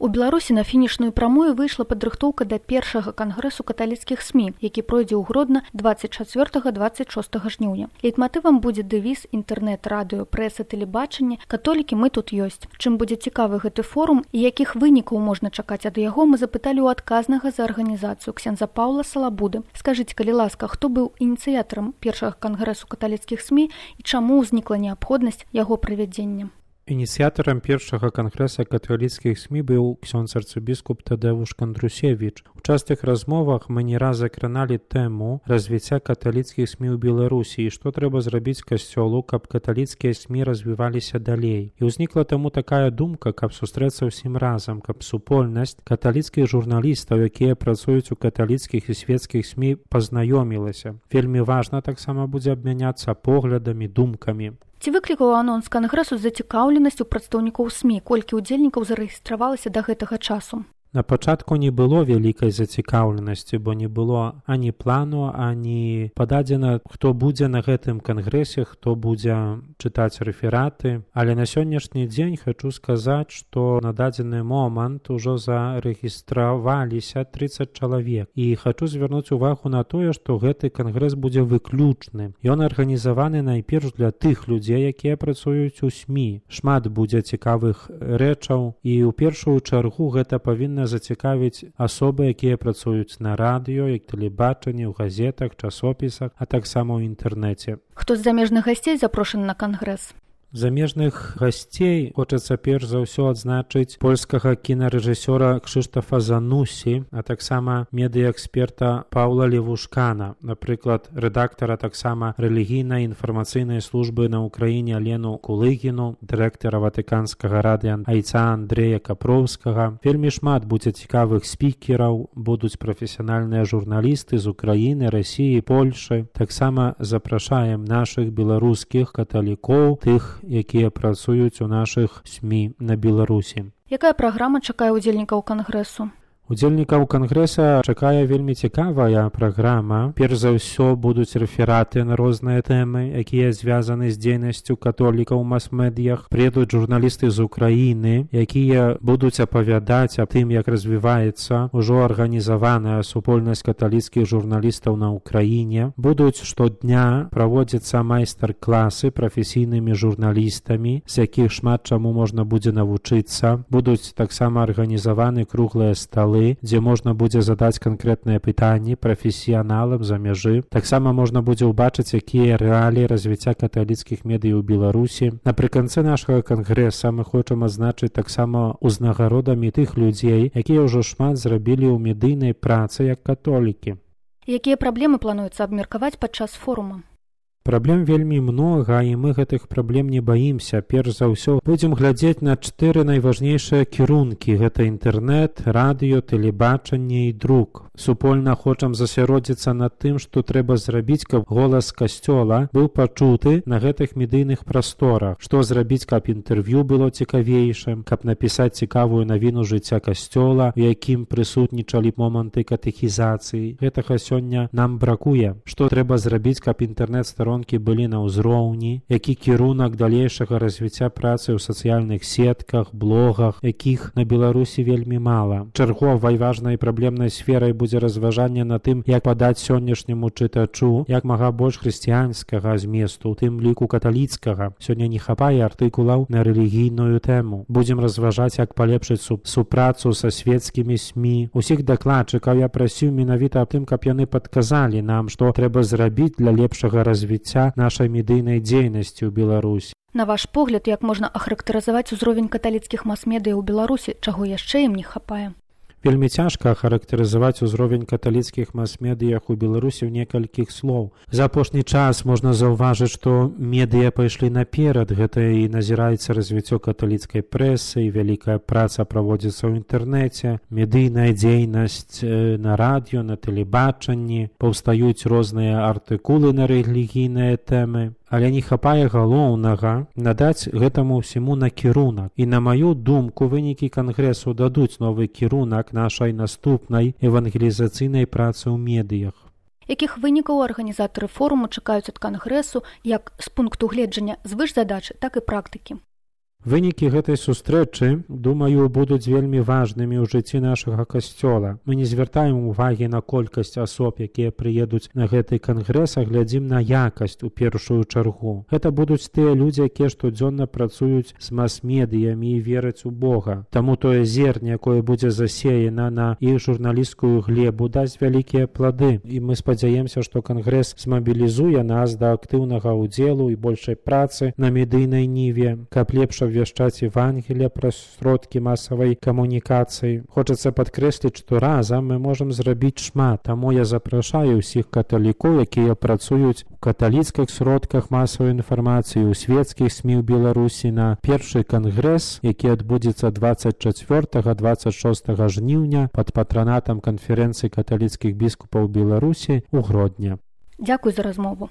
У Беларусі на фінішную прамую выйшла падрыхтоўка да першага кангрэсу каталіцкіх СМІ, які пройдзе ў Гродна 24-26 жніўня. Лейтматывам будзе дэвіз інтэрнэт, радыё, прэса, тэлебачанне «Католікі, мы тут ёсць». Чым будзе цікавы гэты форум і якіх вынікаў можна чакаць ад яго, мы запыталі ў адказнага за арганізацыю ксяндза Паўла Салабуды. Скажыце, калі ласка, хто быў ініцыятарам першага кангрэсу каталіцкіх СМІ і чаму ўзнікла неабходнасць яго правядзення? Ініцыятарам першага кангрэса каталіцкіх СМІ быў ксёндз арцыбіскуп Тадэвуш Кандрусевіч. У частых размовах мы не раз закраналі тэму развіцця каталіцкіх СМІ ў Беларусі і што трэба зрабіць касцёлу, каб каталіцкія СМІ развіваліся далей. І ўзнікла таму такая думка, каб сустрэцца ўсім разам, каб супольнасць каталіцкіх журналістаў, якія працуюць у каталіцкіх і свецкіх СМІ, пазнаёмілася. Вельмі важна таксама будзе абмяняцца поглядамі, думкамі. Ці выклікаў анонс кангрэсу зацікаўленасць у прадстаўнікоў СМІ, колькі ўдзельнікаў зарэгістравалася да гэтага часу? На пачатку не было вялікай зацікаўленасці, бо не было ані плану, ані пададзена, хто будзе на гэтым кангрэсе, хто будзе чытаць рэфераты. Але на сённяшні дзень хачу сказаць, што на дадзены момант ужо зарэгістраваліся 30 чалавек. І хачу звярнуць увагу на тое, што гэты кангрэс будзе выключны. Ён арганізаваны найперш для тых людзей, якія працуюць у СМІ. Шмат будзе цікавых рэчаў і ў першую чаргу гэта павінна зацікавіць асобы, якія працуюць на радыё, як тэлебачанні, ў газетах, часопісах, а таксама ў інтэрнэце. Хто з замежных гасцей запрошаны на кангрэс? Замежных гасцей хочацца перш за ўсё адзначыць польскага кінарэжысёра Кшыштафа Занусі, а таксама медыяэксперта Паўла Левушкана, напрыклад, рэдактара таксама рэлігійнай інфармацыйнай службы на Ўкраіне Алену Кулыгіну, дырэктара ватыканскага радыё айца Андрэя Капроўскага. Вельмі шмат будзе цікавых спікераў, будуць прафесіянальныя журналісты з Украіны, Расіі, Польшы. Таксама запрашаем нашых беларускіх каталікоў, тых, якія працуюць у нашых СМІ на Беларусі. Якая праграма чакае ўдзельнікаў кангрэсу? Удзельнікаў кангрэса чакае вельмі цікавая праграма. Перш за ўсё будуць рэфераты на розныя тэмы, якія звязаны з дзейнасцю католікаў у мас-медыях. Прыедуць журналісты з Украіны, якія будуць апавядаць аб тым, як развіваецца ўжо арганізаваная супольнасць каталіцкіх журналістаў на Ўкраіне. Будуць штодня праводзіцца майстар-класы прафесійнымі журналістамі, з якіх шмат чаму можна будзе навучыцца. Будуць таксама арганізаваны круглыя сталы, дзе можна будзе задаць канкрэтныя пытанні прафесіяналам за мяжы. Таксама можна будзе ўбачыць, якія рэаліі развіцця каталіцкіх медый у Беларусі. Напрыканцы нашага кангрэса мы хочам адзначыць таксама узнагародамі тых людзей, якія ўжо шмат зрабілі ў медыйнай працы як католікі. Якія праблемы плануецца абмеркаваць падчас форума? Праблем вельмі многа, і мы гэтых праблем не баімся. Перш за ўсё будзем глядзець на 4 найважнейшыя кірункі. Гэта інтэрнэт, радыё, тэлебачанне і друк. Супольна хочам засяродзіцца над тым, што трэба зрабіць, каб голас касцёла быў пачуты на гэтых медыйных прасторах. Што зрабіць, каб інтэрв'ю было цікавейшым, каб напісаць цікавую навіну жыцця касцёла, у якім прысутнічалі моманты катэхізацыі. Гэтага сёння нам бракуе. Што трэба зрабіць, каб інтэрнэт-старонкі былі на ўзроўні, які кірунак далейшага развіцця працы ў сацыяльных сетках, блогах, якіх на Беларусі вельмі мала. Чарговай важнай праблемнай сферай будзе разважанне на тым, як падаць сённяшняму чытачу як мага больш хрысціянскага зместу, у тым ліку каталіцкага. Сёння не хапае артыкулаў на рэлігійную тэму. Будзем разважаць, як палепшыць супрацу са свецкімі СМІ. Усіх дакладчыкаў я прасіў менавіта аб тым, каб яны падказалі нам, што трэба зрабіць для лепшага развіцця нашай медыйнай дзейнасці ў Беларусі. На ваш погляд, як можна ахарактарызаваць узровень каталіцкіх мас-медыя ў Беларусі, чаго яшчэ ім не хапае? Вельмі цяжка ахарактарызаваць узровень каталіцкіх мас-медыях у Беларусі ў некалькіх слоў. За апошні час можна заўважыць, што медыя пайшлі наперад. Гэта і назіраецца развіццё каталіцкай прэсы, і вялікая праца праводзіцца ў інтэрнэце, медыйная дзейнасць на радыё, на тэлебачанні, паўстаюць розныя артыкулы на рэлігійныя тэмы. Але не хапае галоўнага надаць гэтаму ўсяму накірунак. І на маю думку, вынікі кангрэсу дадуць новы кірунак нашай наступнай евангелізацыйнай працы ў медыях. Якіх вынікаў арганізатары форуму чакаюць ад кангрэсу як з пункту гледжання звышзадачы, так і практыкі? Вынікі гэтай сустрэчы, думаю, будуць вельмі важнымі ў жыцці нашага касцёла. Мы не звяртаем увагі на колькасць асоб, якія прыедуць на гэты кангрэс, а глядзім на якасць у першую чаргу. Гэта будуць тыя людзі, якія штодзённа працуюць з мас-медыямі і вераць у Бога. Таму тое зерне, якое будзе засеяна на іх журналісцкую глебу, дасць вялікія плады. І мы спадзяемся, што кангрэс змабілізуе нас да актыўнага ўдзелу і большай працы на медыйнай ніве, каб лепш абвяшчаць Евангелие праз сродкі масавай камунікацыі. Хочацца падкрэсліць, што разам мы можам зрабіць шмат. Таму я запрашаю ўсіх каталікоў, якія працуюць у каталіцкіх сродках масавай інфармацыі, у свецкіх СМІ ў Беларусі на першы кангрэс, які адбудзецца 24-26 жніўня пад патранатам канферэнцыі каталіцкіх біскупаў Беларусі ў Гродні. Дзякуй за размову.